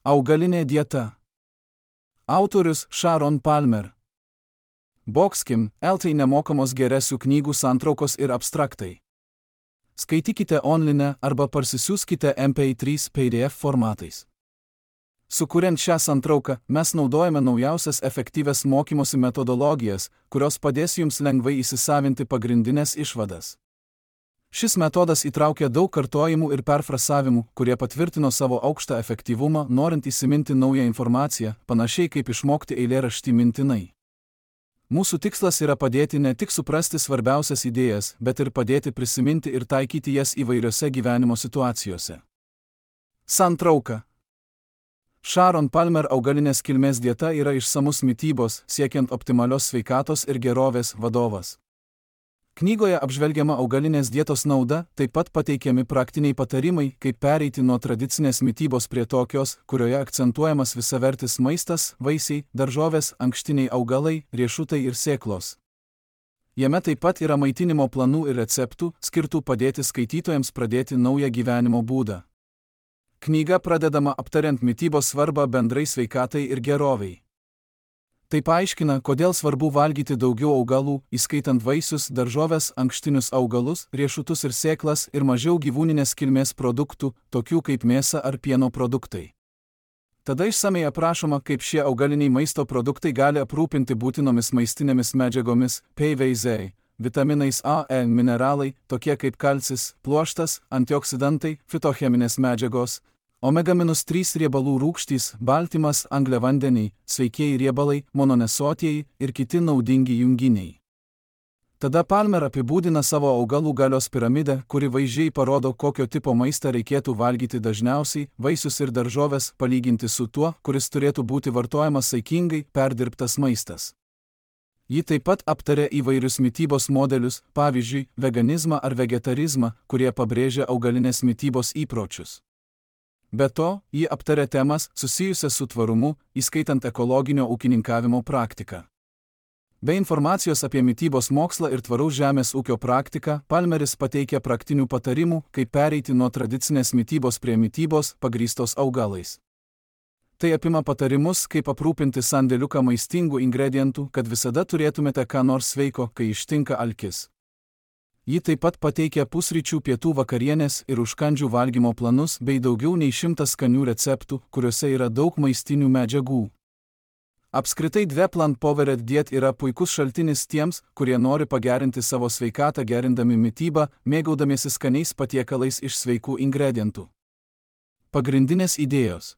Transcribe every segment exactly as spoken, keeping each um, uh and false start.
Augalinė dieta. Autorius Sharon Palmer. Boxkim, L T nemokamos geresių knygų santraukos ir abstraktai. Skaitykite online arba parsisiųskite M P trys P D F formatais. Sukuriant šią santrauką, mes naudojame naujausias efektyvias mokymosi metodologijas, kurios padės jums lengvai įsisavinti pagrindinės išvadas. Šis metodas įtraukia daug kartojimų ir perfrasavimų, kurie patvirtino savo aukštą efektyvumą, norint įsiminti naują informaciją, panašiai kaip išmokti eilėraštį mintinai. Mūsų tikslas yra padėti ne tik suprasti svarbiausias idėjas, bet ir padėti prisiminti ir taikyti jas įvairiose gyvenimo situacijose. Santrauka. Sharon Palmer augalinės kilmės dieta yra išsamus mitybos, siekiant optimalios sveikatos ir gerovės vadovas. Knygoje apžvelgiama augalinės dietos nauda, taip pat pateikiami praktiniai patarimai, kaip pereiti nuo tradicinės mitybos prie tokios, kurioje akcentuojamas visavertis maistas, vaisiai, daržovės, ankštiniai augalai, riešutai ir sėklos. Jame taip pat yra maitinimo planų ir receptų, skirtų padėti skaitytojams pradėti naują gyvenimo būdą. Knyga pradedama aptariant mitybos svarbą bendrai sveikatai ir geroviai. Tai paaiškina, kodėl svarbu valgyti daugiau augalų, įskaitant vaisius, daržoves, ankštinius augalus, riešutus ir sėklas ir mažiau gyvūninės kilmės produktų, tokių kaip mėsa ar pieno produktai. Tada išsamei aprašoma, kaip šie augaliniai maisto produktai gali aprūpinti būtinomis maistinėmis medžiagomis, P V Z, vitaminais A, E, mineralai, tokie kaip kalcis, pluoštas, antioksidantai, fitocheminės medžiagos, omega trys riebalų rūgštys, baltymas, angliavandeniai, sveikieji riebalai, mononesotieji ir kiti naudingi junginiai. Tada Palmer apibūdina savo augalų galios piramidę, kuri vaizdžiai parodo, kokio tipo maistą reikėtų valgyti dažniausiai, vaisius ir daržoves palyginti su tuo, kuris turėtų būti vartojamas saikingai, perdirbtas maistas. Ji taip pat aptarė įvairius mitybos modelius, pavyzdžiui, veganizmą ar vegetarizmą, kurie pabrėžia augalinės mitybos įpročius. Be to, ji aptarė temas susijusias su tvarumu, įskaitant ekologinio ūkininkavimo praktiką. Be informacijos apie mitybos mokslą ir tvaraus žemės ūkio praktiką, Palmeris pateikia praktinių patarimų, kaip pereiti nuo tradicinės mitybos prie mitybos, pagrįstos augalais. Tai apima patarimus, kaip aprūpinti sandėliuką maistingų ingredientų, kad visada turėtumėte ką nors sveiko, kai ištinka alkis. Ji taip pat pateikia pusryčių, pietų, vakarienės ir užkandžių valgymo planus bei daugiau nei šimtas skanių receptų, kuriuose yra daug maistinių medžiagų. Apskritai Dve Plant Powered Diet yra puikus šaltinis tiems, kurie nori pagerinti savo sveikatą gerindami mitybą, mėgaudamiesi skaniais patiekalais iš sveikų ingredientų. Pagrindinės idėjos.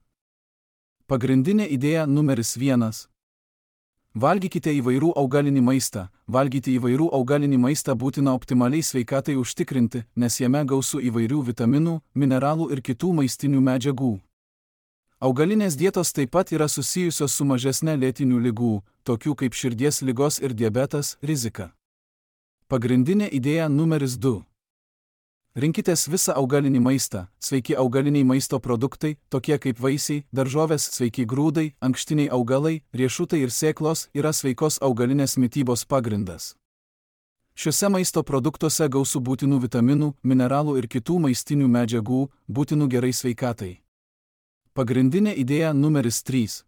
Pagrindinė idėja numeris vienas. Valgykite įvairių augalinį maistą. Valgyti įvairių augalinį maistą būtina optimaliai sveikatai užtikrinti, nes jame gausu įvairių vitaminų, mineralų ir kitų maistinių medžiagų. Augalinės dietos taip pat yra susijusios su mažesne lėtinių ligų, tokių kaip širdies ligos ir diabetas, rizika. Pagrindinė idėja numeris du. Rinkitės visą augalinį maistą. Sveiki augaliniai maisto produktai, tokie kaip vaisiai, daržovės, sveiki grūdai, ankštiniai augalai, riešutai ir sėklos yra sveikos augalinės mitybos pagrindas. Šiuose maisto produktuose gausu būtinų vitaminų, mineralų ir kitų maistinių medžiagų, būtinų gerai sveikatai. Pagrindinė idėja numeris trys.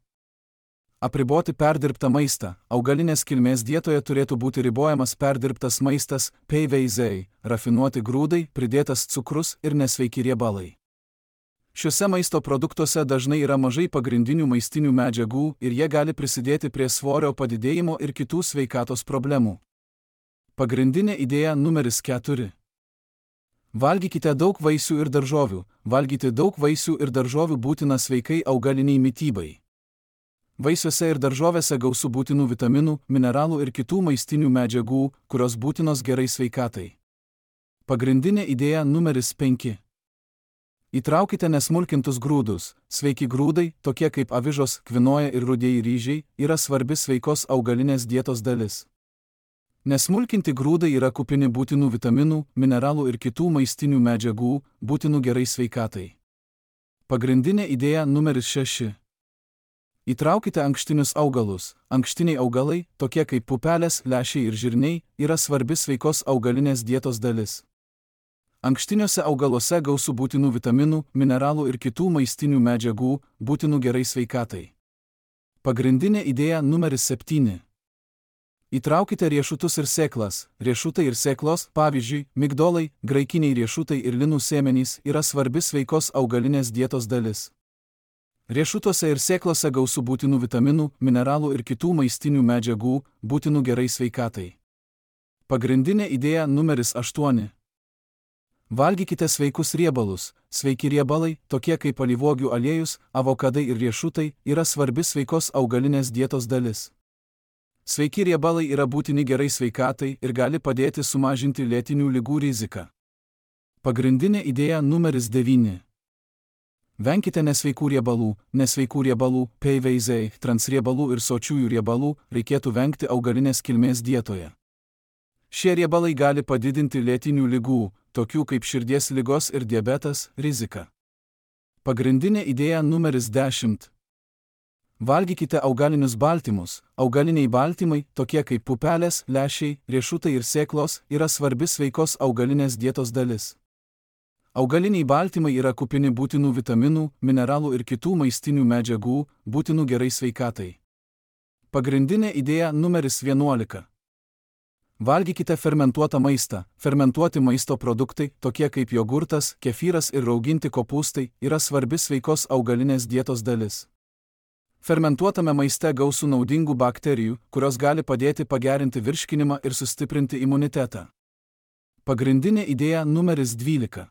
Apriboti perdirbtą maistą. Augalinės kilmės dietoje turėtų būti ribojamas perdirbtas maistas, P V Z, rafinuoti grūdai, pridėtas cukrus ir nesveiki riebalai. Šiuose maisto produktuose dažnai yra mažai pagrindinių maistinių medžiagų ir jie gali prisidėti prie svorio padidėjimo ir kitų sveikatos problemų. Pagrindinė idėja numeris keturi. Valgykite daug vaisių ir daržovių. Valgyti daug vaisių ir daržovių būtina sveikai augaliniai mitybai. Vaisiuose ir daržovėse gausu būtinų vitaminų, mineralų ir kitų maistinių medžiagų, kurios būtinos gerai sveikatai. Pagrindinė idėja numeris penki. Įtraukite nesmulkintus grūdus. Sveiki grūdai, tokie kaip avižos, kvinoja ir rudieji ryžiai, yra svarbi sveikos augalinės dietos dalis. Nesmulkinti grūdai yra kupini būtinų vitaminų, mineralų ir kitų maistinių medžiagų, būtinų gerai sveikatai. Pagrindinė idėja numeris šeši. Įtraukite ankštinius augalus. Ankštiniai augalai, tokie kaip pupelės, lęšiai ir žirniai, yra svarbi sveikos augalinės dietos dalis. Ankštiniuose augaluose gausu būtinų vitaminų, mineralų ir kitų maistinių medžiagų, būtinų gerai sveikatai. Pagrindinė idėja numeris septyni. Įtraukite riešutus ir sėklas. Riešutai ir sėklos, pavyzdžiui, migdolai, graikiniai riešutai ir linų sėmenys, yra svarbi sveikos augalinės dietos dalis. Riešutuose ir sėklose gausu būtinų vitaminų, mineralų ir kitų maistinių medžiagų, būtinų gerai sveikatai. Pagrindinė idėja numeris aštuoni. Valgykite sveikus riebalus. Sveiki riebalai, tokie kaip alyvuogių aliejus, avokadai ir riešutai, yra svarbi sveikos augalinės dietos dalis. Sveiki riebalai yra būtini gerai sveikatai ir gali padėti sumažinti lėtinių ligų riziką. Pagrindinė idėja numeris devyni. Venkite nesveikų riebalų. Nesveikų riebalų, P V Z, transriebalų ir sočiųjų riebalų reikėtų vengti augalinės kilmės dietoje. Šie riebalai gali padidinti lėtinių ligų, tokių kaip širdies ligos ir diabetas, riziką. Pagrindinė idėja numeris dešimt. Valgykite augalinius baltymus. Augaliniai baltymai, tokie kaip pupelės, lęšiai, riešutai ir sėklos, yra svarbi sveikos augalinės dietos dalis. Augaliniai baltymai yra kupini būtinų vitaminų, mineralų ir kitų maistinių medžiagų, būtinų gerai sveikatai. Pagrindinė idėja numeris vienuolika. Valgykite fermentuotą maistą. Fermentuoti maisto produktai, tokie kaip jogurtas, kefyras ir rauginti kopūstai, yra svarbi sveikos augalinės dietos dalis. Fermentuotame maiste gausu naudingų bakterijų, kurios gali padėti pagerinti virškinimą ir sustiprinti imunitetą. Pagrindinė idėja numeris dvylika.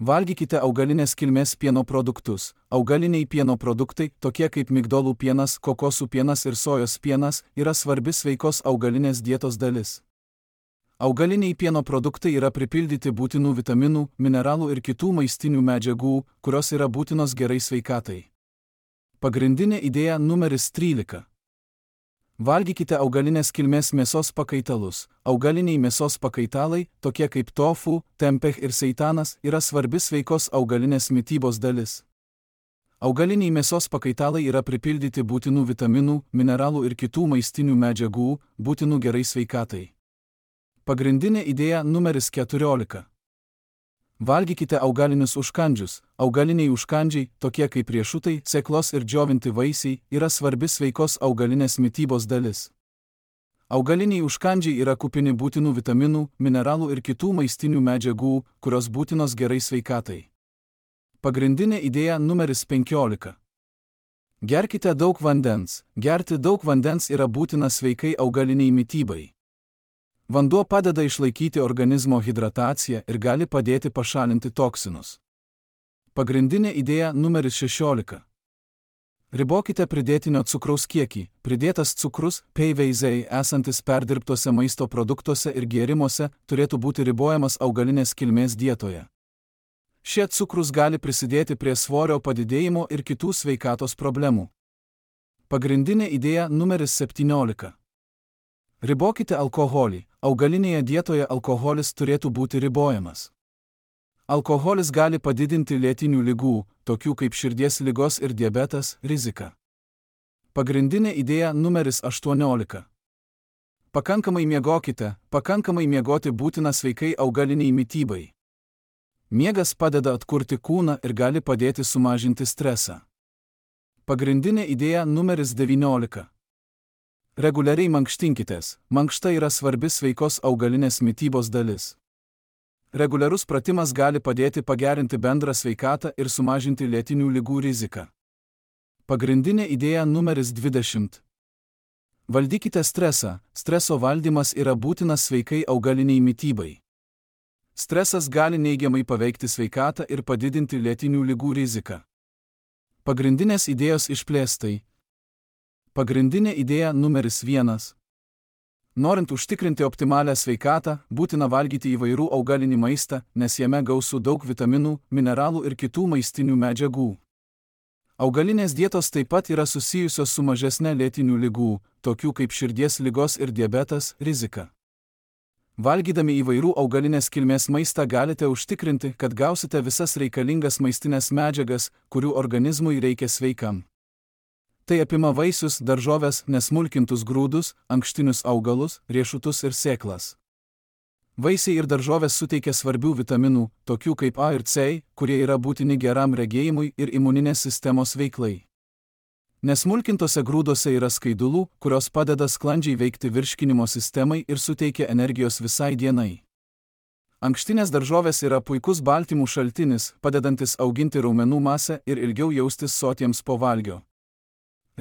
Valgykite augalinės kilmės pieno produktus. Augaliniai pieno produktai, tokie kaip migdolų pienas, kokosų pienas ir sojos pienas, yra svarbi sveikos augalinės dietos dalis. Augaliniai pieno produktai yra pripildyti būtinų vitaminų, mineralų ir kitų maistinių medžiagų, kurios yra būtinos gerai sveikatai. Pagrindinė idėja numeris trylika. Valgykite augalinės kilmės mėsos pakaitalus. Augaliniai mėsos pakaitalai, tokie kaip tofu, tempeh ir seitanas, yra svarbi sveikos augalinės mitybos dalis. Augaliniai mėsos pakaitalai yra pripildyti būtinų vitaminų, mineralų ir kitų maistinių medžiagų, būtinų gerai sveikatai. Pagrindinė idėja numeris keturiolika. Valgykite augalinius užkandžius. Augaliniai užkandžiai, tokie kaip riešutai, sėklos ir džiovinti vaisiai, yra svarbi sveikos augalinės mitybos dalis. Augaliniai užkandžiai yra kupini būtinų vitaminų, mineralų ir kitų maistinių medžiagų, kurios būtinos gerai sveikatai. Pagrindinė idėja numeris penkiolika. Gerkite daug vandens. Gerti daug vandens yra būtina sveikai augaliniai mitybai. Vanduo padeda išlaikyti organizmo hidrataciją ir gali padėti pašalinti toksinus. Pagrindinė idėja numeris šešiolika. Ribokite pridėtinio cukraus kiekį. Pridėtas cukrus, P V Z, esantis perdirbtuose maisto produktuose ir gėrimuose, turėtų būti ribojamas augalinės kilmės dietoje. Šie cukrus gali prisidėti prie svorio padidėjimo ir kitų sveikatos problemų. Pagrindinė idėja numeris septyniolika. Ribokite alkoholį. Augalinėje dietoje alkoholis turėtų būti ribojamas. Alkoholis gali padidinti lėtinių ligų, tokių kaip širdies ligos ir diabetas, riziką. Pagrindinė idėja numeris aštuoniolika. Pakankamai miegokite. Pakankamai miegoti būtina sveikai augaliniai mitybai. Miegas padeda atkurti kūną ir gali padėti sumažinti stresą. Pagrindinė idėja numeris devyniolika. Reguliariai mankštinkitės. Mankšta yra svarbi sveikos augalinės mitybos dalis. Reguliarus pratimas gali padėti pagerinti bendrą sveikatą ir sumažinti lėtinių ligų riziką. Pagrindinė idėja numeris dvidešimt. Valdykite stresą. Streso valdymas yra būtinas sveikai augaliniai mitybai. Stresas gali neigiamai paveikti sveikatą ir padidinti lėtinių ligų riziką. Pagrindinės idėjos išplėstai. Pagrindinė idėja numeris vienas. Norint užtikrinti optimalią sveikatą, būtina valgyti įvairių augalinį maistą, nes jame gausu daug vitaminų, mineralų ir kitų maistinių medžiagų. Augalinės dietos taip pat yra susijusios su mažesne lėtinių ligų, tokių kaip širdies ligos ir diabetas, rizika. Valgydami įvairių augalinės kilmės maistą galite užtikrinti, kad gausite visas reikalingas maistinės medžiagas, kurių organizmui reikia sveikam. Tai apima vaisius, daržoves, nesmulkintus grūdus, ankštinius augalus, riešutus ir sėklas. Vaisiai ir daržovės suteikia svarbių vitaminų, tokių kaip A ir C, kurie yra būtini geram regėjimui ir imuninės sistemos veiklai. Nesmulkintose grūdose yra skaidulų, kurios padeda sklandžiai veikti virškinimo sistemai ir suteikia energijos visai dienai. Ankštinės daržovės yra puikus baltymų šaltinis, padedantis auginti raumenų masę ir ilgiau jaustis sotiems po valgio.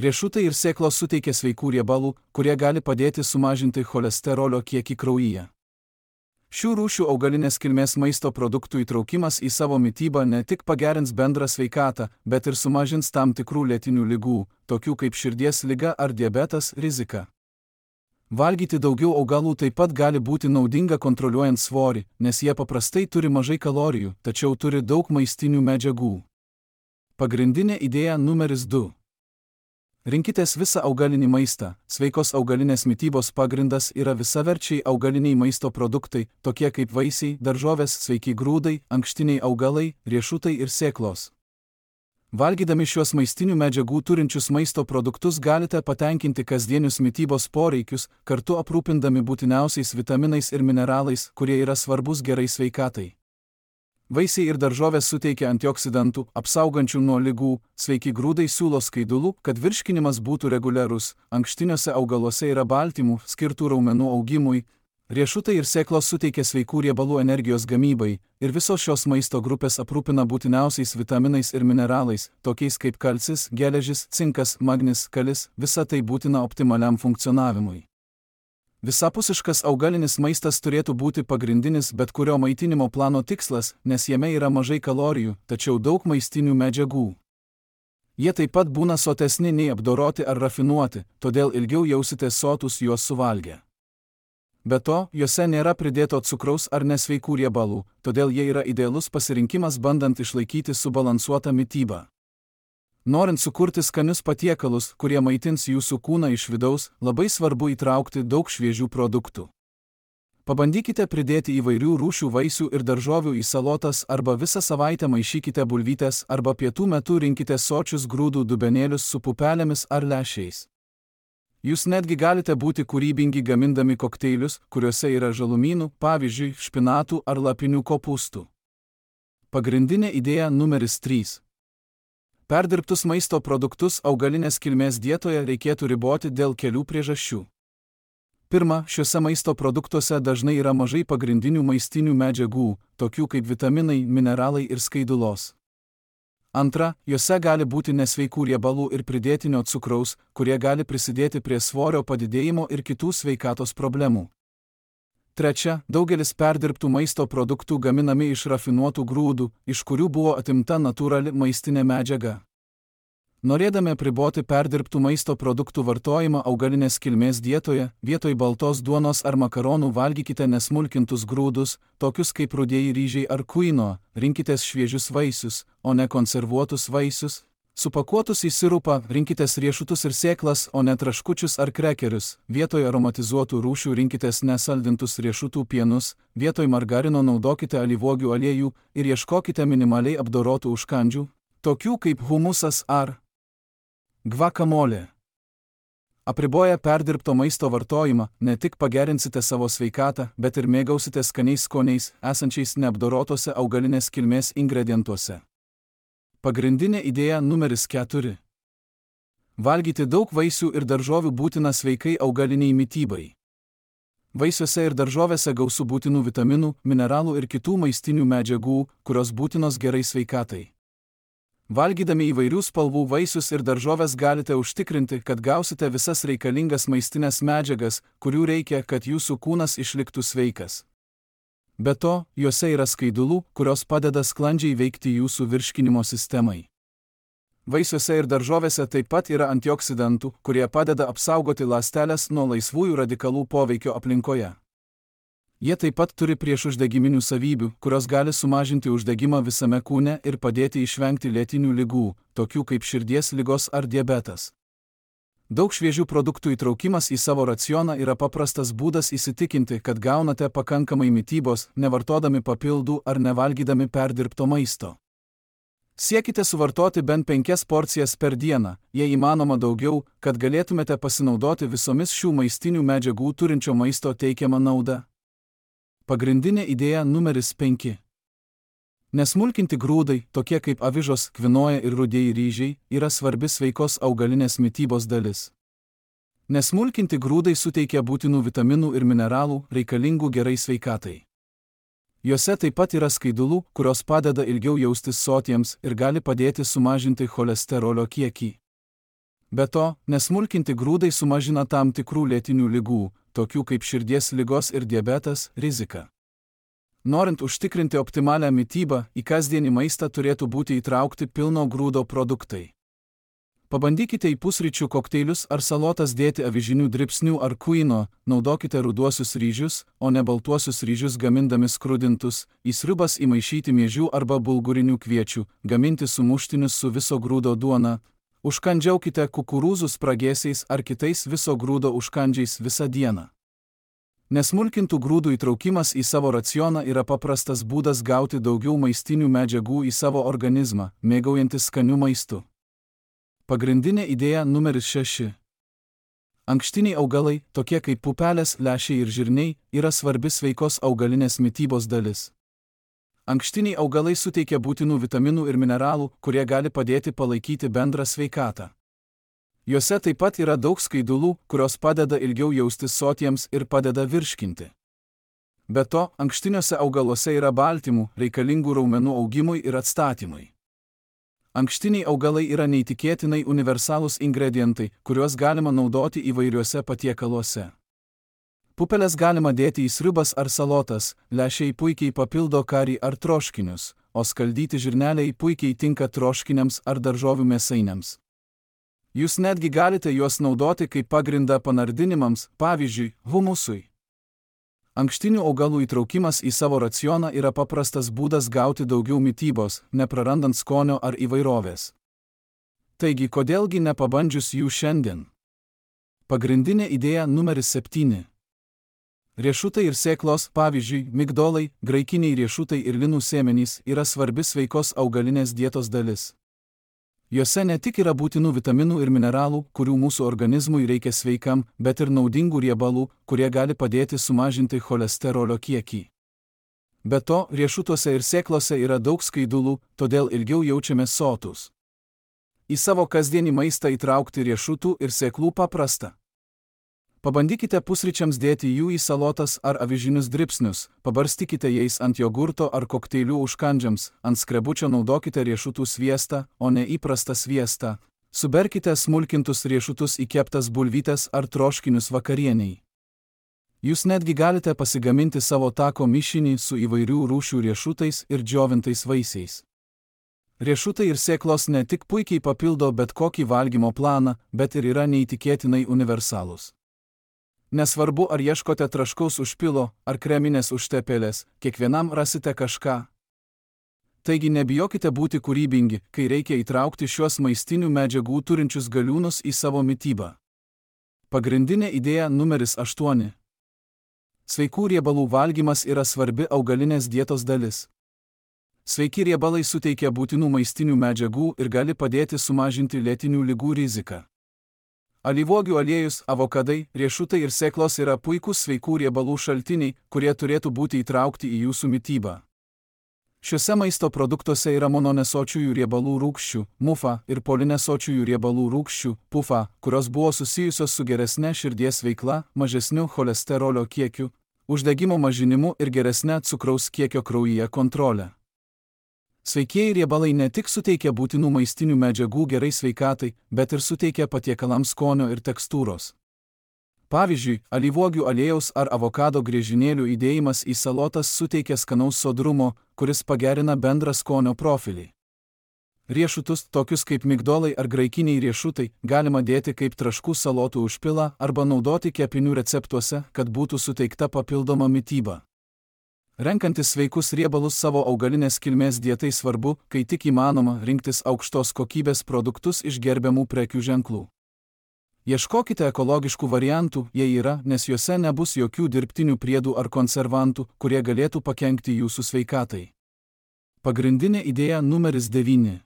Riešutai ir sėklos suteikia sveikų riebalų, kurie gali padėti sumažinti cholesterolio kiekį kraujyje. Šių rūšių augalinės kilmės maisto produktų įtraukimas į savo mitybą ne tik pagerins bendrą sveikatą, bet ir sumažins tam tikrų lėtinių ligų, tokių kaip širdies liga ar diabetas, riziką. Valgyti daugiau augalų taip pat gali būti naudinga kontroliuojant svorį, nes jie paprastai turi mažai kalorijų, tačiau turi daug maistinių medžiagų. Pagrindinė idėja numeris du. Rinkitės visą augalinį maistą. Sveikos augalinės mitybos pagrindas yra visaverčiai augaliniai maisto produktai, tokie kaip vaisiai, daržovės, sveiki grūdai, ankštiniai augalai, riešutai ir sėklos. Valgydami šiuos maistinių medžiagų turinčius maisto produktus galite patenkinti kasdienius mitybos poreikius, kartu aprūpindami būtiniausiais vitaminais ir mineralais, kurie yra svarbus gerai sveikatai. Vaisiai ir daržovės suteikia antioksidantų, apsaugančių nuo ligų, sveiki grūdai siūlo skaidulų, kad virškinimas būtų reguliarus, ankštiniuose augaluose yra baltymų, skirtų raumenų augimui, riešutai ir sėklos suteikia sveikų riebalų energijos gamybai, ir visos šios maisto grupės aprūpina būtiniausiais vitaminais ir mineralais, tokiais kaip kalcis, geležis, cinkas, magnis, kalis, visa tai būtina optimaliam funkcionavimui. Visapusiškas augalinis maistas turėtų būti pagrindinis bet kurio maitinimo plano tikslas, nes jame yra mažai kalorijų, tačiau daug maistinių medžiagų. Jie taip pat būna sotesni nei apdoroti ar rafinuoti, todėl ilgiau jausitės sotus juos suvalgę. Be to, juose nėra pridėto cukraus ar nesveikų riebalų, todėl jie yra idealus pasirinkimas bandant išlaikyti subalansuotą mitybą. Norint sukurti skanius patiekalus, kurie maitins jūsų kūną iš vidaus, labai svarbu įtraukti daug šviežių produktų. Pabandykite pridėti įvairių rūšių vaisių ir daržovių į salotas arba visą savaitę maišykite bulvytes arba pietų metu rinkite sočius grūdų dubenėlius su pupelėmis ar lęšiais. Jūs netgi galite būti kūrybingi gamindami kokteilius, kuriuose yra žalumynų, pavyzdžiui, špinatų ar lapinių kopūstų. Pagrindinė idėja numeris trys. Perdirbtus maisto produktus augalinės kilmės dietoje reikėtų riboti dėl kelių priežasčių. Pirma, šiuose maisto produktuose dažnai yra mažai pagrindinių maistinių medžiagų, tokių kaip vitaminai, mineralai ir skaidulos. Antra, juose gali būti nesveikų riebalų ir pridėtinio cukraus, kurie gali prisidėti prie svorio padidėjimo ir kitų sveikatos problemų. Trečia, daugelis perdirbtų maisto produktų gaminami iš rafinuotų grūdų, iš kurių buvo atimta natūrali maistinė medžiaga. Norėdami apriboti perdirbtų maisto produktų vartojimą augalinės kilmės dietoje, vietoj baltos duonos ar makaronų valgykite nesmulkintus grūdus, tokius kaip rudieji ryžiai ar kuino, rinkitės šviežius vaisius, o ne konservuotus vaisius. Supakuotus į sirupą, rinkitės riešutus ir sėklas, o ne traškučius ar krekerius, vietoj aromatizuotų rūšių rinkitės nesaldintus riešutų pienus, vietoj margarino naudokite alyvuogių aliejų ir ieškokite minimaliai apdorotų užkandžių, tokių kaip humusas ar gvakamolė. Apriboję perdirbto maisto vartojimą, ne tik pagerinsite savo sveikatą, bet ir mėgausite skaniais skoniais, esančiais neapdorotose augalinės kilmės ingredientuose. Pagrindinė idėja numeris keturi. Valgyti daug vaisių ir daržovių būtina sveikai augaliniai mitybai. Vaisiuose ir daržovėse gausu būtinų vitaminų, mineralų ir kitų maistinių medžiagų, kurios būtinos gerai sveikatai. Valgydami įvairių spalvų vaisius ir daržovės galite užtikrinti, kad gausite visas reikalingas maistinės medžiagas, kurių reikia, kad jūsų kūnas išliktų sveikas. Be to, juose yra skaidulų, kurios padeda sklandžiai veikti jūsų virškinimo sistemai. Vaisiuose ir daržovėse taip pat yra antioksidantų, kurie padeda apsaugoti ląsteles nuo laisvųjų radikalų poveikio aplinkoje. Jie taip pat turi priešuždegiminių savybių, kurios gali sumažinti uždegimą visame kūne ir padėti išvengti lėtinių ligų, tokių kaip širdies ligos ar diabetas. Daug šviežių produktų įtraukimas į savo racioną yra paprastas būdas įsitikinti, kad gaunate pakankamai mitybos, nevartodami papildų ar nevalgydami perdirbto maisto. Siekite suvartoti bent penkias porcijas per dieną, jei įmanoma daugiau, kad galėtumėte pasinaudoti visomis šių maistinių medžiagų turinčio maisto teikiamą naudą. Pagrindinė idėja numeris penki. Nesmulkinti grūdai, tokie kaip avižos, kvinoja ir rudieji ryžiai, yra svarbi sveikos augalinės mitybos dalis. Nesmulkinti grūdai suteikia būtinų vitaminų ir mineralų, reikalingų gerai sveikatai. Juose taip pat yra skaidulų, kurios padeda ilgiau jaustis sotiems ir gali padėti sumažinti cholesterolio kiekį. Be to, nesmulkinti grūdai sumažina tam tikrų lėtinių ligų, tokių kaip širdies ligos ir diabetas, riziką. Norint užtikrinti optimalią mitybą, į kasdienį maistą turėtų būti įtraukti pilno grūdo produktai. Pabandykite į pusryčių kokteilius ar salotas dėti avižinių dribsnių ar kuino, naudokite ruduosius ryžius, o ne baltuosius ryžius gamindami skrudintus, į sriubas įmaišyti miežių arba bulgurinių kviečių, gaminti sumuštinius su viso grūdo duona, užkandžiaukite kukurūzų spragėsiais ar kitais viso grūdo užkandžiais visą dieną. Nesmulkintų grūdų įtraukimas į savo racioną yra paprastas būdas gauti daugiau maistinių medžiagų į savo organizmą, mėgaujantis skaniu maistu. Pagrindinė idėja numeris šeši. Ankštiniai augalai, tokie kaip pupelės, lęšiai ir žirniai, yra svarbi sveikos augalinės mitybos dalis. Ankštiniai augalai suteikia būtinų vitaminų ir mineralų, kurie gali padėti palaikyti bendrą sveikatą. Juose taip pat yra daug skaidulų, kurios padeda ilgiau jaustis sotiems ir padeda virškinti. Be to, ankštiniuose augaluose yra baltymų, reikalingų raumenų augimui ir atstatymui. Ankštiniai augalai yra neįtikėtinai universalūs ingredientai, kuriuos galima naudoti įvairiuose patiekaluose. Pupeles galima dėti į sriubas ar salotas, lęšiai puikiai papildo karį ar troškinius, o skaldyti žirneliai puikiai tinka troškiniams ar daržovių mėsainiams. Jūs netgi galite juos naudoti kaip pagrindą panardinimams, pavyzdžiui, humusui. Ankštinių augalų įtraukimas į savo racioną yra paprastas būdas gauti daugiau mitybos, neprarandant skonio ar įvairovės. Taigi, kodėlgi nepabandžius jų šiandien? Pagrindinė idėja numeris septyni. Riešutai ir sėklos, pavyzdžiui, migdolai, graikiniai riešutai ir linų sėmenys yra svarbi sveikos augalinės dietos dalis. Juose ne tik yra būtinų vitaminų ir mineralų, kurių mūsų organizmui reikia sveikam, bet ir naudingų riebalų, kurie gali padėti sumažinti cholesterolio kiekį. Be to, riešutuose ir sėklose yra daug skaidulų, todėl ilgiau jaučiamės sotūs. Į savo kasdienį maistą įtraukti riešutų ir sėklų paprasta. Pabandykite pusryčiams dėti jų į salotas ar avižinius dribsnius, pabarstykite jais ant jogurto ar kokteilių užkandžiams, ant skrebučio naudokite riešutų sviestą, o ne įprastą sviestą. Suberkite smulkintus riešutus į keptas bulvytes ar troškinius vakarieniai. Jūs netgi galite pasigaminti savo tako mišinį su įvairių rūšių riešutais ir džiovintais vaisiais. Riešutai ir sėklos ne tik puikiai papildo bet kokį valgymo planą, bet ir yra neįtikėtinai universalūs. Nesvarbu, ar ieškote traškaus užpilo, ar kreminės užtepėlės, kiekvienam rasite kažką. Taigi nebijokite būti kūrybingi, kai reikia įtraukti šiuos maistinių medžiagų turinčius galiūnus į savo mitybą. Pagrindinė idėja numeris aštuoni. Sveikų riebalų valgymas yra svarbi augalinės dietos dalis. Sveiki riebalai suteikia būtinų maistinių medžiagų ir gali padėti sumažinti lėtinių ligų riziką. Alyvuogių aliejus, avokadai, riešutai ir sėklos yra puikūs sveikų riebalų šaltiniai, kurie turėtų būti įtraukti į jūsų mitybą. Šiuose maisto produktuose yra mononesočiųjų riebalų rūgščių, mufa, ir polinesočiųjų riebalų rūgščių, pufa, kurios buvo susijusios su geresne širdies veikla, mažesniu cholesterolio kiekiu, uždegimo mažinimu ir geresne cukraus kiekio kraujyje kontrole. Sveikieji riebalai ne tik suteikia būtinų maistinių medžiagų gerai sveikatai, bet ir suteikia patiekalams skonio ir tekstūros. Pavyzdžiui, alyvuogių aliejaus ar avokado griežinėlių įdėjimas į salotas suteikia skanaus sodrumo, kuris pagerina bendrą skonio profilį. Riešutus, tokius kaip migdolai ar graikiniai riešutai, galima dėti kaip traškų salotų užpilą arba naudoti kepinių receptuose, kad būtų suteikta papildoma mityba. Renkantis sveikus riebalus savo augalinės kilmės dietai svarbu, kai tik įmanoma, rinktis aukštos kokybės produktus iš gerbiamų prekių ženklų. Ieškokite ekologiškų variantų, jei yra, nes juose nebus jokių dirbtinių priedų ar konservantų, kurie galėtų pakenkti jūsų sveikatai. Pagrindinė idėja numeris devyni.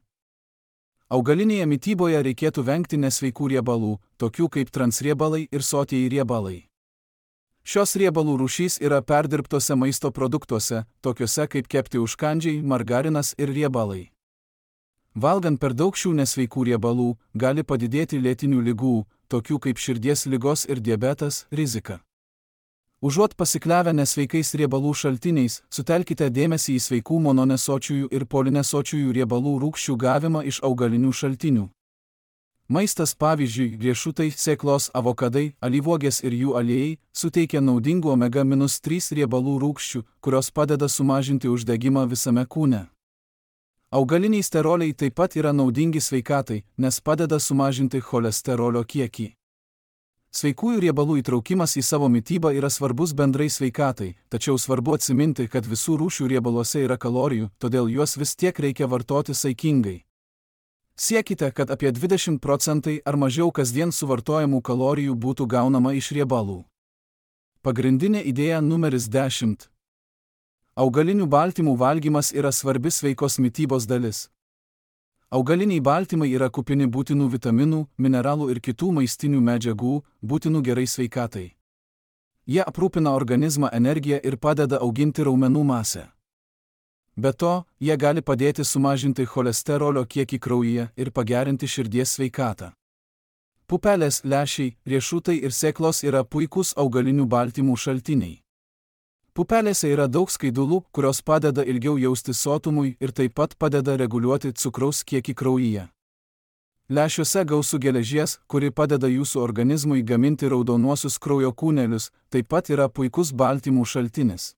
Augalinėje mityboje reikėtų vengti nesveikų riebalų, tokių kaip transriebalai ir sotieji riebalai. Šios riebalų rūšys yra perdirbtose maisto produktuose, tokiuose kaip kepti užkandžiai, margarinas ir riebalai. Valgant per daug šių nesveikų riebalų, gali padidėti lėtinių ligų, tokių kaip širdies ligos ir diabetas, rizika. Užuot pasikliavę nesveikais riebalų šaltiniais, sutelkite dėmesį į sveikų mononesočiųjų ir polinesočiųjų riebalų rūgščių gavimą iš augalinių šaltinių. Maistas, pavyzdžiui, riešutai, sėklos, avokadai, alyvuogės ir jų aliejai, suteikia naudingų omega trys riebalų rūgščių, kurios padeda sumažinti uždegimą visame kūne. Augaliniai steroliai taip pat yra naudingi sveikatai, nes padeda sumažinti cholesterolio kiekį. Sveikųjų riebalų įtraukimas į savo mitybą yra svarbus bendrai sveikatai, tačiau svarbu atsiminti, kad visų rūšių riebaluose yra kalorijų, todėl juos vis tiek reikia vartoti saikingai. Siekite, kad apie dvidešimt procentų ar mažiau kasdien suvartojamų kalorijų būtų gaunama iš riebalų. Pagrindinė idėja numeris dešimt. Augalinių baltymų valgymas yra svarbi sveikos mitybos dalis. Augaliniai baltymai yra kupini būtinų vitaminų, mineralų ir kitų maistinių medžiagų, būtinų gerai sveikatai. Jie aprūpina organizmą energiją ir padeda auginti raumenų masę. Be to, jie gali padėti sumažinti cholesterolio kiekį kraujyje ir pagerinti širdies sveikatą. Pupelės, lęšiai, riešutai ir sėklos yra puikūs augalinių baltymų šaltiniai. Pupelėse yra daug skaidulų, kurios padeda ilgiau jaustis sotumui ir taip pat padeda reguliuoti cukraus kiekį kraujyje. Lęšiuose gausu geležies, kuri padeda jūsų organizmui gaminti raudonuosius kraujo kūnelius, taip pat yra puikus baltymų šaltinis.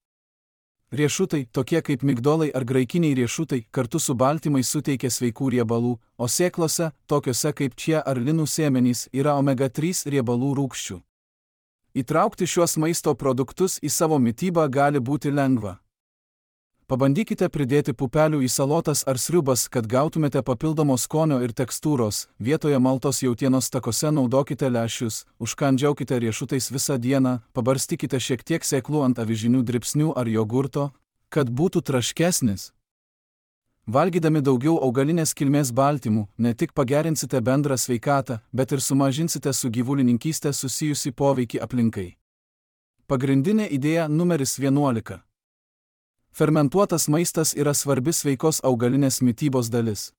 Riešutai, tokie kaip migdolai ar graikiniai riešutai, kartu su baltymais suteikia sveikų riebalų, o sėklose, tokiuose kaip čia ar linų sėmenys, yra omega trys riebalų rūgščių. Įtraukti šiuos maisto produktus į savo mitybą gali būti lengva. Pabandykite pridėti pupelių į salotas ar sriubas, kad gautumėte papildomo skonio ir tekstūros. Vietoje maltos jautienos takose naudokite lęšius, užkandžiaukite riešutais visą dieną, pabarstykite šiek tiek sėklų ant avižinių dribsnių ar jogurto, kad būtų traškesnis. Valgydami daugiau augalinės kilmės baltymų, ne tik pagerinsite bendrą sveikatą, bet ir sumažinsite su gyvulininkystė susijusi poveikį aplinkai. Pagrindinė idėja numeris vienuolika. Fermentuotas maistas yra svarbi sveikos augalinės mitybos dalis.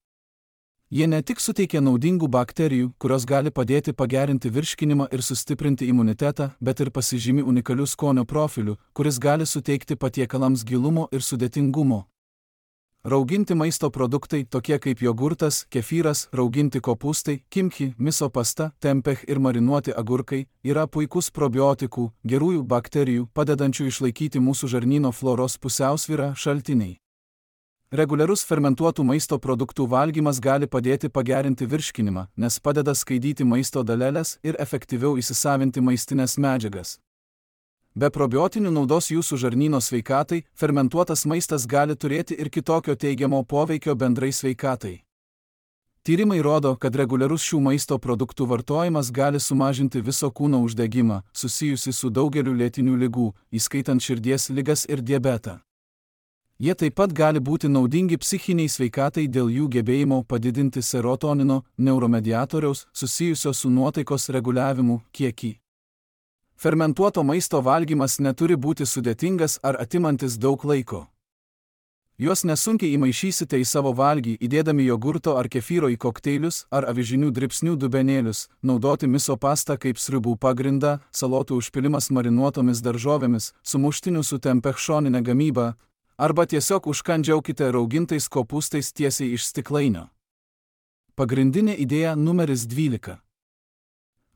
Jie ne tik suteikia naudingų bakterijų, kurios gali padėti pagerinti virškinimą ir sustiprinti imunitetą, bet ir pasižymi unikaliu skonio profiliu, kuris gali suteikti patiekalams gilumo ir sudėtingumo. Rauginti maisto produktai, tokie kaip jogurtas, kefyras, rauginti kopūstai, kimchi, miso pasta, tempeh ir marinuoti agurkai, yra puikus probiotikų, gerųjų bakterijų, padedančių išlaikyti mūsų žarnyno floros pusiausvyrą šaltiniai. Reguliarus fermentuotų maisto produktų valgymas gali padėti pagerinti virškinimą, nes padeda skaidyti maisto daleles ir efektyviau įsisavinti maistinės medžiagas. Be probiotinių naudos jūsų žarnyno sveikatai, fermentuotas maistas gali turėti ir kitokio teigiamo poveikio bendrai sveikatai. Tyrimai rodo, kad reguliarus šių maisto produktų vartojimas gali sumažinti viso kūno uždegimą, susijusi su daugeliu lėtinių ligų, įskaitant širdies ligas ir diabetą. Jie taip pat gali būti naudingi psichiniai sveikatai dėl jų gebėjimo padidinti serotonino, neuromediatoriaus, susijusio su nuotaikos reguliavimu, kiekį. Fermentuoto maisto valgymas neturi būti sudėtingas ar atimantis daug laiko. Juos nesunkiai įmaišysite į savo valgį, įdėdami jogurto ar kefyro į kokteilius ar avižinių dribsnių dubenėlius, naudoti miso pastą kaip sriubų pagrindą, salotų užpilimas marinuotomis daržovėmis, sumuštinių su tempeh šoninė gamyba, arba tiesiog užkandžiaukite raugintais kopūstais tiesiai iš stiklainio. Pagrindinė idėja numeris dvylika.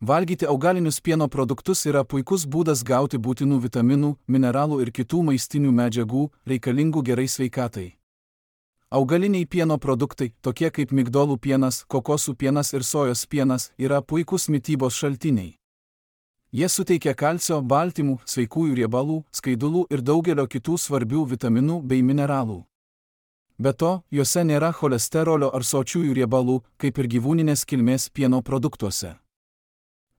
Valgyti augalinius pieno produktus yra puikus būdas gauti būtinų vitaminų, mineralų ir kitų maistinių medžiagų, reikalingų gerai sveikatai. Augaliniai pieno produktai, tokie kaip migdolų pienas, kokosų pienas ir sojos pienas, yra puikūs mitybos šaltiniai. Jie suteikia kalcio, baltymų, sveikųjų riebalų, skaidulų ir daugelio kitų svarbių vitaminų bei mineralų. Be to, juose nėra cholesterolio ar sočiųjų riebalų, kaip ir gyvūninės kilmės pieno produktuose.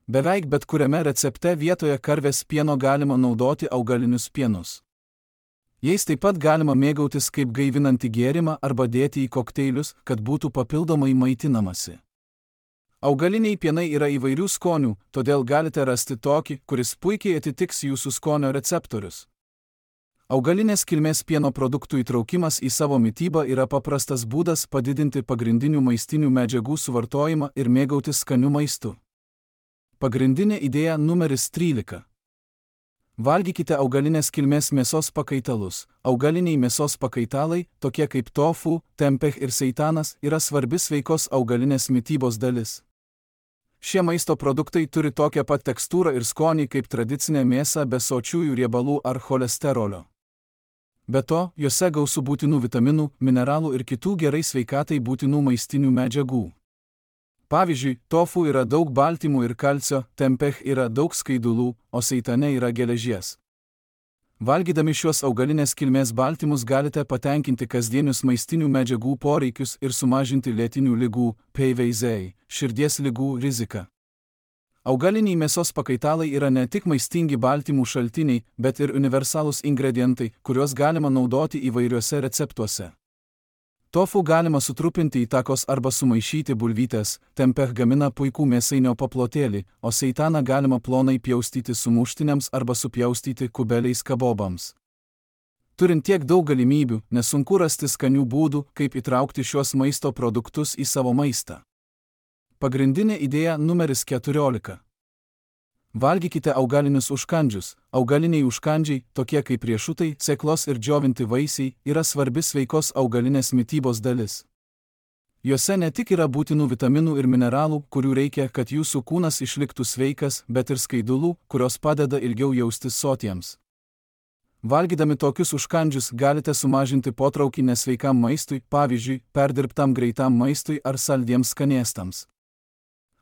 Beveik bet kuriame recepte vietoje karvės pieno galima naudoti augalinius pienus. Jais taip pat galima mėgautis kaip gaivinantį gėrimą arba dėti į kokteilius, kad būtų papildomai maitinamasi. Augaliniai pienai yra įvairių skonių, todėl galite rasti tokį, kuris puikiai atitiks jūsų skonio receptorius. Augalinės kilmės pieno produktų įtraukimas į savo mitybą yra paprastas būdas padidinti pagrindinių maistinių medžiagų suvartojimą ir mėgautis skaniu maistu. Pagrindinė idėja numeris trylika. Valgykite augalinės kilmės mėsos pakaitalus. Augaliniai mėsos pakaitalai, tokie kaip tofu, tempeh ir seitanas, yra svarbi sveikos augalinės mitybos dalis. Šie maisto produktai turi tokią pat tekstūrą ir skonį kaip tradicinė mėsa be sočiųjų riebalų ar cholesterolio. Be to, juose gausu būtinų vitaminų, mineralų ir kitų gerai sveikatai būtinų maistinių medžiagų. Pavyzdžiui, tofu yra daug baltymų ir kalcio, tempeh yra daug skaidulų, o seitane yra geležies. Valgydami šiuos augalinės kilmės baltymus galite patenkinti kasdienius maistinių medžiagų poreikius ir sumažinti lėtinių ligų, P V Z, širdies ligų riziką. Augaliniai mėsos pakaitalai yra ne tik maistingi baltymų šaltiniai, bet ir universalūs ingredientai, kuriuos galima naudoti įvairiuose receptuose. Tofu galima sutrupinti į takos arba sumaišyti bulvytes, tempeh gamina puikų mėsainio paplotėlį, o seitaną galima plonai pjaustyti sumuštiniams arba supjaustyti kubeliais kabobams. Turint tiek daug galimybių, nesunku rasti skanių būdų, kaip įtraukti šiuos maisto produktus į savo maistą. Pagrindinė idėja numeris keturiolika. Valgykite augalinius užkandžius. Augaliniai užkandžiai, tokie kaip riešutai, sėklos ir džiovinti vaisiai, yra svarbi sveikos augalinės mitybos dalis. Juose ne tik yra būtinų vitaminų ir mineralų, kurių reikia, kad jūsų kūnas išliktų sveikas, bet ir skaidulų, kurios padeda ilgiau jaustis sotiems. Valgydami tokius užkandžius galite sumažinti potraukį nesveikam maistui, pavyzdžiui, perdirbtam greitam maistui ar saldiems skanėstams.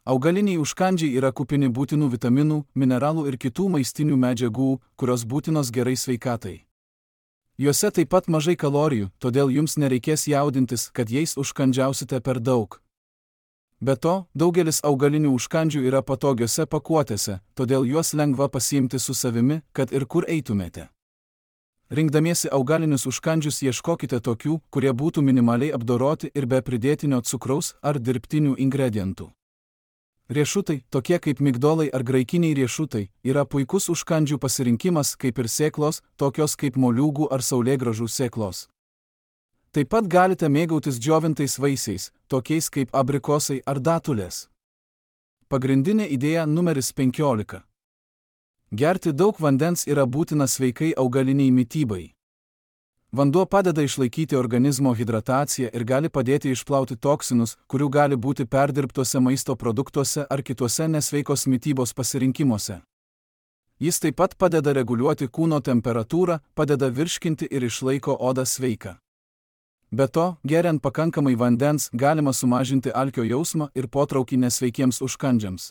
Augaliniai užkandžiai yra kupini būtinų vitaminų, mineralų ir kitų maistinių medžiagų, kurios būtinos gerai sveikatai. Juose taip pat mažai kalorijų, todėl jums nereikės jaudintis, kad jais užkandžiausite per daug. Be to, daugelis augalinių užkandžių yra patogiose pakuotėse, todėl juos lengva pasiimti su savimi, kad ir kur eitumėte. Rinkdamiesi augalinius užkandžius ieškokite tokių, kurie būtų minimaliai apdoroti ir be pridėtinio cukraus ar dirbtinių ingredientų. Riešutai, tokie kaip migdolai ar graikiniai riešutai, yra puikus užkandžių pasirinkimas kaip ir sėklos, tokios kaip moliūgų ar saulėgrąžų sėklos. Taip pat galite mėgautis džiovintais vaisiais, tokiais kaip abrikosai ar datulės. Pagrindinė idėja numeris penkiolika. Gerti daug vandens yra būtina sveikai augaliniai mitybai. Vanduo padeda išlaikyti organizmo hidrataciją ir gali padėti išplauti toksinus, kurių gali būti perdirbtuose maisto produktuose ar kituose nesveikos mitybos pasirinkimuose. Jis taip pat padeda reguliuoti kūno temperatūrą, padeda virškinti ir išlaiko odą sveiką. Be to, geriant pakankamai vandens galima sumažinti alkio jausmą ir potraukį nesveikiems užkandžiams.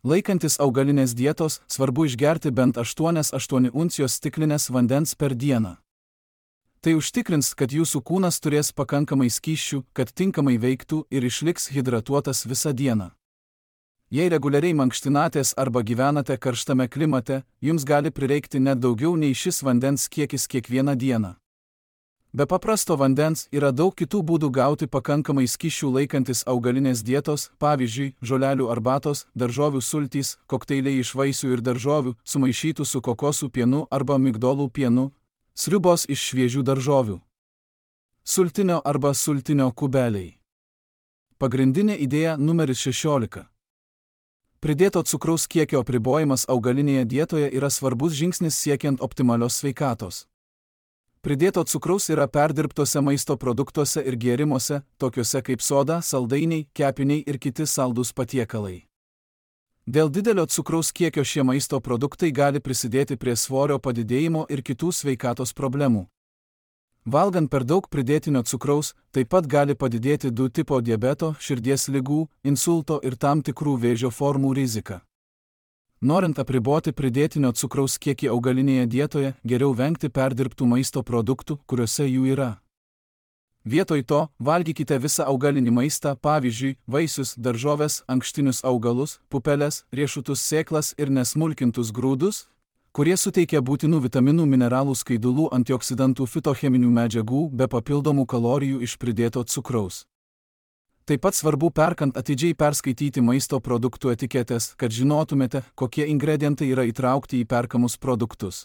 Laikantis augalinės dietos, svarbu išgerti bent aštuonias aštuonias uncijos stiklinės vandens per dieną. Tai užtikrins, kad jūsų kūnas turės pakankamai skysčių, kad tinkamai veiktų ir išliks hidratuotas visą dieną. Jei reguliariai mankštinatės arba gyvenate karštame klimate, jums gali prireikti net daugiau nei šis vandens kiekis kiekvieną dieną. Be paprasto vandens yra daug kitų būdų gauti pakankamai skysčių laikantis augalinės dietos, pavyzdžiui, žolelių arbatos, daržovių sultys, kokteiliai iš vaisių ir daržovių, sumaišytų su kokosų pienu arba migdolų pienu, sriubos iš šviežių daržovių, sultinio arba sultinio kubeliai. Pagrindinė idėja numeris šešiolika. Pridėto cukraus kiekio apribojimas augalinėje dietoje yra svarbus žingsnis siekiant optimalios sveikatos. Pridėto cukraus yra perdirbtuose maisto produktuose ir gėrimuose, tokiuose kaip soda, saldainiai, kepiniai ir kiti saldūs patiekalai. Dėl didelio cukraus kiekio šie maisto produktai gali prisidėti prie svorio padidėjimo ir kitų sveikatos problemų. Valgant per daug pridėtinio cukraus, taip pat gali padidėti du tipo diabeto, širdies ligų, insulto ir tam tikrų vėžio formų rizika. Norint apriboti pridėtinio cukraus kiekį augalinėje dietoje, geriau vengti perdirbtų maisto produktų, kuriuose jų yra. Vietoj to, valgykite visą augalinį maistą, pavyzdžiui, vaisius, daržoves, ankštinius augalus, pupeles, riešutus, sėklas ir nesmulkintus grūdus, kurie suteikia būtinų vitaminų, mineralų, skaidulų, antioksidantų, fitocheminių medžiagų be papildomų kalorijų iš pridėto cukraus. Taip pat svarbu perkant atidžiai perskaityti maisto produktų etiketės, kad žinotumėte, kokie ingredientai yra įtraukti į perkamus produktus.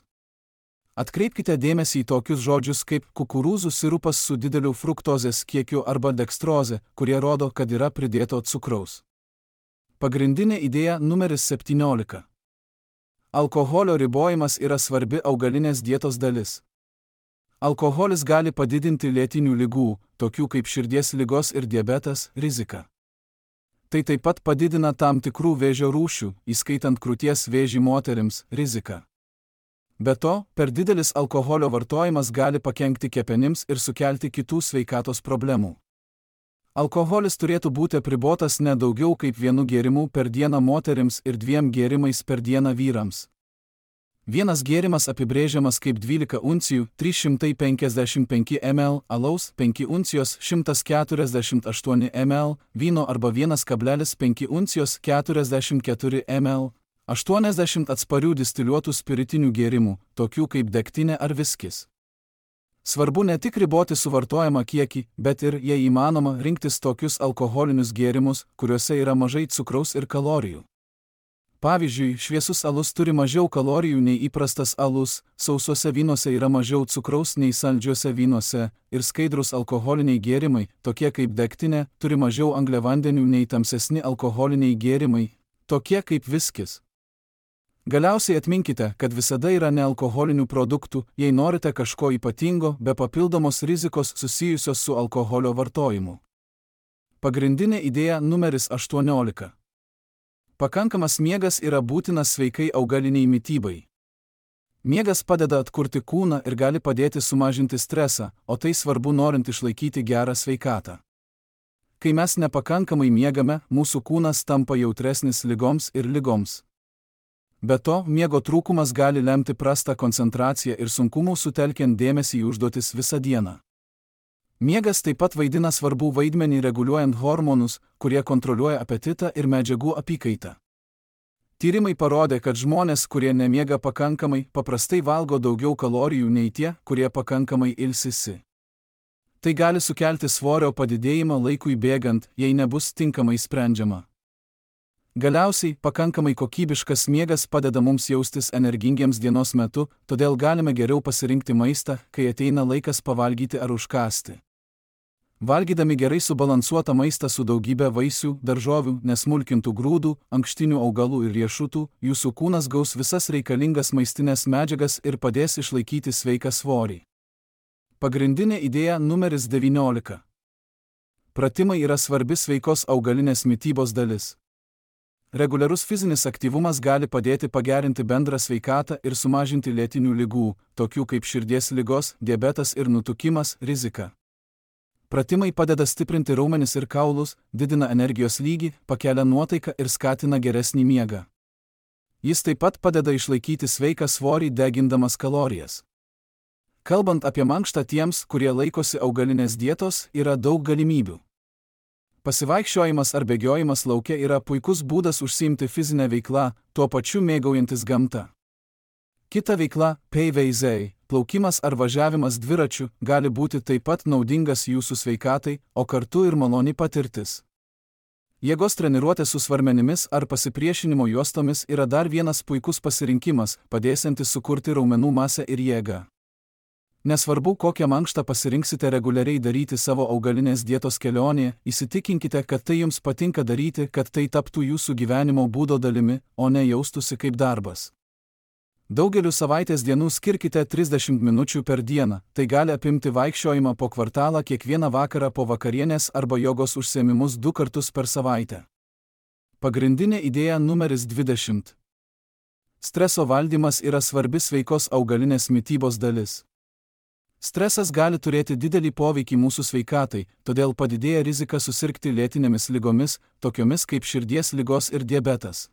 Atkreipkite dėmesį į tokius žodžius kaip kukurūzų sirupas su dideliu fruktozės kiekiu arba dekstrozė, kurie rodo, kad yra pridėto cukraus. Pagrindinė idėja numeris septyniolika. Alkoholio ribojimas yra svarbi augalinės dietos dalis. Alkoholis gali padidinti lėtinių ligų, tokių kaip širdies ligos ir diabetas, riziką. Tai taip pat padidina tam tikrų vėžio rūšių, įskaitant krūties vėžį moterims, riziką. Be to, per didelis alkoholio vartojimas gali pakenkti kepenims ir sukelti kitų sveikatos problemų. Alkoholis turėtų būti apribotas ne daugiau kaip vienu gėrimu per dieną moterims ir dviem gėrimais per dieną vyrams. Vienas gėrimas apibrėžiamas kaip dvylika uncijų trys šimtai penkiasdešimt penki mililitrų alaus, penki uncijos šimtas keturiasdešimt aštuoni mililitrai vyno arba vienas kablelis penki uncijos keturiasdešimt keturi mililitrai, aštuoniasdešimt atsparių distiliuotų spiritinių gėrimų, tokių kaip degtinė ar viskis. Svarbu ne tik riboti suvartojamą kiekį, bet ir, jei įmanoma, rinktis tokius alkoholinius gėrimus, kuriuose yra mažai cukraus ir kalorijų. Pavyzdžiui, šviesus alus turi mažiau kalorijų nei įprastas alus, sausuose vynuose yra mažiau cukraus nei saldžiuose vynuose, ir skaidrus alkoholiniai gėrimai, tokie kaip degtinė, turi mažiau angliavandenių nei tamsesni alkoholiniai gėrimai, tokie kaip viskis. Galiausiai atminkite, kad visada yra nealkoholinių produktų, jei norite kažko ypatingo, be papildomos rizikos susijusios su alkoholio vartojimu. Pagrindinė idėja numeris aštuoniolika. Pakankamas miegas yra būtinas sveikai augaliniai mitybai. Miegas padeda atkurti kūną ir gali padėti sumažinti stresą, o tai svarbu norint išlaikyti gerą sveikatą. Kai mes nepakankamai miegame, mūsų kūnas tampa jautresnis ligoms ir ligoms. Be to, miego trūkumas gali lemti prastą koncentraciją ir sunkumų sutelkiant dėmesį į užduotis visą dieną. Miegas taip pat vaidina svarbų vaidmenį reguliuojant hormonus, kurie kontroliuoja apetitą ir medžiagų apykaitą. Tyrimai parodė, kad žmonės, kurie nemiega pakankamai, paprastai valgo daugiau kalorijų nei tie, kurie pakankamai ilsisi. Tai gali sukelti svorio padidėjimą laikui bėgant, jei nebus tinkamai sprendžiama. Galiausiai, pakankamai kokybiškas miegas padeda mums jaustis energingiems dienos metu, todėl galime geriau pasirinkti maistą, kai ateina laikas pavalgyti ar užkąsti. Valgydami gerai subalansuotą maistą su daugybė vaisių, daržovių, nesmulkintų grūdų, ankštinių augalų ir riešutų, jūsų kūnas gaus visas reikalingas maistinės medžiagas ir padės išlaikyti sveiką svorį. Pagrindinė idėja numeris devyniolika. Pratimai yra svarbi sveikos augalinės mitybos dalis. Reguliarus fizinis aktyvumas gali padėti pagerinti bendrą sveikatą ir sumažinti lėtinių ligų, tokių kaip širdies ligos, diabetas ir nutukimas, riziką. Pratimai padeda stiprinti raumenis ir kaulus, didina energijos lygį, pakelia nuotaiką ir skatina geresnį miegą. Jis taip pat padeda išlaikyti sveiką svorį degindamas kalorijas. Kalbant apie mankštą tiems, kurie laikosi augalinės dietos, yra daug galimybių. Pasivaikščiojimas ar bėgiojimas lauke yra puikus būdas užsiimti fizinę veiklą, tuo pačiu mėgaujantis gamta. Kita veikla, peiveizei, plaukimas ar važiavimas dviračiu, gali būti taip pat naudingas jūsų sveikatai, o kartu ir maloni patirtis. Jėgos treniruotė su svarmenimis ar pasipriešinimo juostomis yra dar vienas puikus pasirinkimas, padėsiantis sukurti raumenų masę ir jėgą. Nesvarbu, kokią mankštą pasirinksite reguliariai daryti savo augalinės dietos kelionėje, įsitikinkite, kad tai jums patinka daryti, kad tai taptų jūsų gyvenimo būdo dalimi, o ne jaustųsi kaip darbas. Daugeliu savaitės dienų skirkite trisdešimt minučių per dieną, tai gali apimti vaikščiojimą po kvartalą kiekvieną vakarą po vakarienės arba jogos užsiėmimus du kartus per savaitę. Pagrindinė idėja numeris dvidešimt. Streso valdymas yra svarbi sveikos augalinės mitybos dalis. Stresas gali turėti didelį poveikį mūsų sveikatai, todėl padidėja rizika susirgti lėtinėmis ligomis, tokiomis kaip širdies ligos ir diabetas.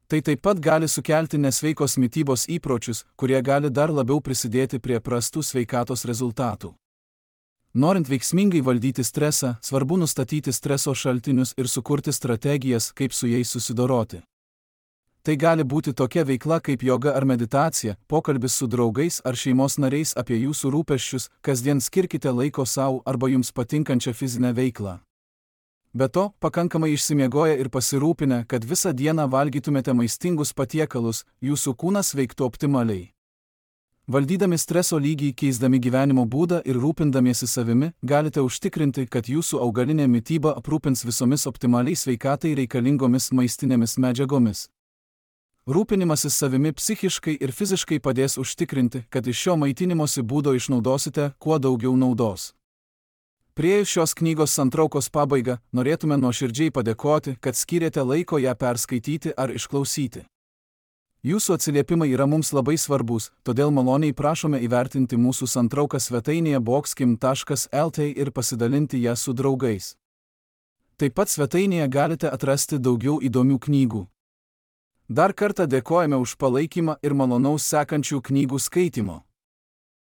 Tai taip pat gali sukelti nesveikos mitybos įpročius, kurie gali dar labiau prisidėti prie prastų sveikatos rezultatų. Norint veiksmingai valdyti stresą, svarbu nustatyti streso šaltinius ir sukurti strategijas, kaip su jais susidoroti. Tai gali būti tokia veikla kaip joga ar meditacija, pokalbis su draugais ar šeimos nariais apie jūsų rūpesčius, kasdien skirkite laiko sau arba jums patinkančią fizinę veiklą. Be to, pakankamai išsimiegoję ir pasirūpinę, kad visą dieną valgytumėte maistingus patiekalus, jūsų kūnas veiktų optimaliai. Valdydami streso lygį, keisdami gyvenimo būdą ir rūpindamiesi savimi, galite užtikrinti, kad jūsų augalinė mityba aprūpins visomis optimaliai sveikatai reikalingomis maistinėmis medžiagomis. Rūpinimasis savimi psichiškai ir fiziškai padės užtikrinti, kad iš šio maitinimosi būdo išnaudosite kuo daugiau naudos. Priėjus šios knygos santraukos pabaigą, norėtume nuoširdžiai padėkoti, kad skyrėte laiko ją perskaityti ar išklausyti. Jūsų atsiliepimai yra mums labai svarbus, todėl maloniai prašome įvertinti mūsų santrauką svetainėje boxkim taškas lt ir pasidalinti ją su draugais. Taip pat svetainėje galite atrasti daugiau įdomių knygų. Dar kartą dėkojame už palaikymą ir malonaus sekančių knygų skaitimo.